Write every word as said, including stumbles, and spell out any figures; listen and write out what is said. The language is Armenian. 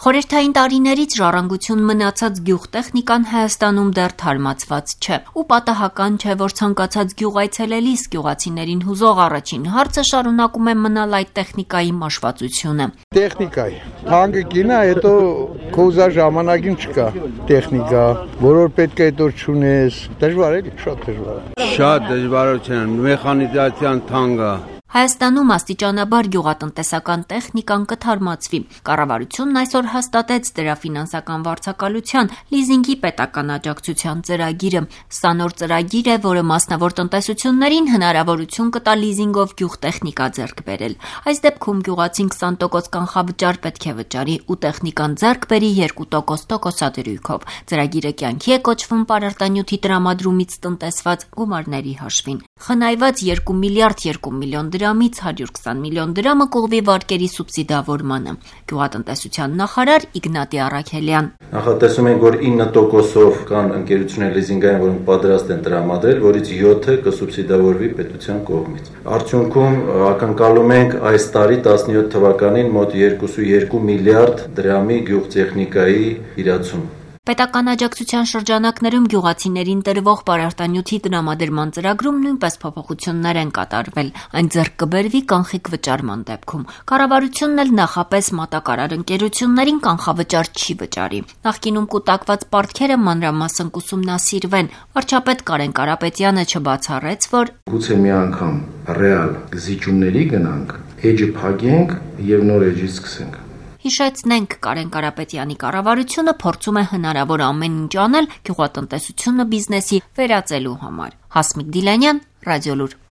Խորհրդային տարիներից ժառանգություն մնացած գյուղտեխնիկան Հայաստանում դեռ թարմացված չէ, ու պատահական չէ, որ ցանկացած գյուղ այցելելիս գյուղացիներին հուզող առաջին հարցը շարունակում է մնալ այդ տեխնիկայի մաշվածությունը։ Տեխնիկայի, թանկը կինա, հետո քո ուզած ժամանակին չկա տեխնիկա, որոր պետք է հետո չունես, դժվար է, շատ դժվար է։ Շատ դժվարություն, մեխանիզացիան թանկ է։ Հայաստանում աստիճանաբար գյուղատնտեսական տեխնիկան կթարմացվի։ Կառավարությունն այսօր հաստատեց դրա ֆինանսական վարձակալության լիզինգի պետական աջակցության ծրագիրը։ Սա նոր ծրագիր է, որը մասնավոր տնտեսություններին հնարավորություն կտա լիզինգով գյուղտեխնիկա ձեռք բերել։ Այս դեպքում գյուղացին քսան տոկոս կանխավճար պետք է վճարի ու տեխնիկան ձեռք բերի երկու տոկոս տոկոսադրույքով։ Ծրագիրը կյանքի է կոչվում պարարտանյութի տրամադրումից տնտեսված գումարների հաշվին։ Խնայված երկու միլիարդ երկու միլիոն դրամից հարյուր քսան միլիոն դրամը կողմի վարկերի սուբսիդավորմանը։ Գյուղատնտեսության նախարար Իգնատի Առաքելյան. Նախատեսում ենք, որ ինը տոկոսով կան ընկերություններ լիզինգային, որոնք պատրաստ են տրամադրել, որից յոթը կսուբսիդավորվի պետության կողմից։ Արդյունքում ակնկալում ենք այս տարի տասնյոթ թվականին մոտ երկու միլիարդ դրամի գյուղտեխնիկայի իրացում։ Պետական աջակցության շրջանակներում գյուղացիներին տրվող պարարտանյութի տրամադրման ծրագրում նույնպես փոփոխություններ են կատարվել։ Այն ձեռք կբերվի կանխիկ վճարման դեպքում։ Կառավարությունն էլ նախապես մատակարար ընկերություններին կանխավճար չի վճարի։ Նախկինում կուտակված պարտքերը մանրամասն կուսումնասիրվեն։ Վարչապետ Կարեն Կարապետյանը չբացառեց, որ գուցե մի անգամ ռեալ զիջումների գնանք, էջը փակենք եւ նոր էջից սկսենք։ Հիշեցնենք, Կարեն Կարապետյանի կառավարությունը փորձում է հնարավոր ամեն ինչ անել գյուղատնտեսությունը բիզնեսի վերածելու համար։ Հասմիկ Դիլանյան, Ռադիոլուր։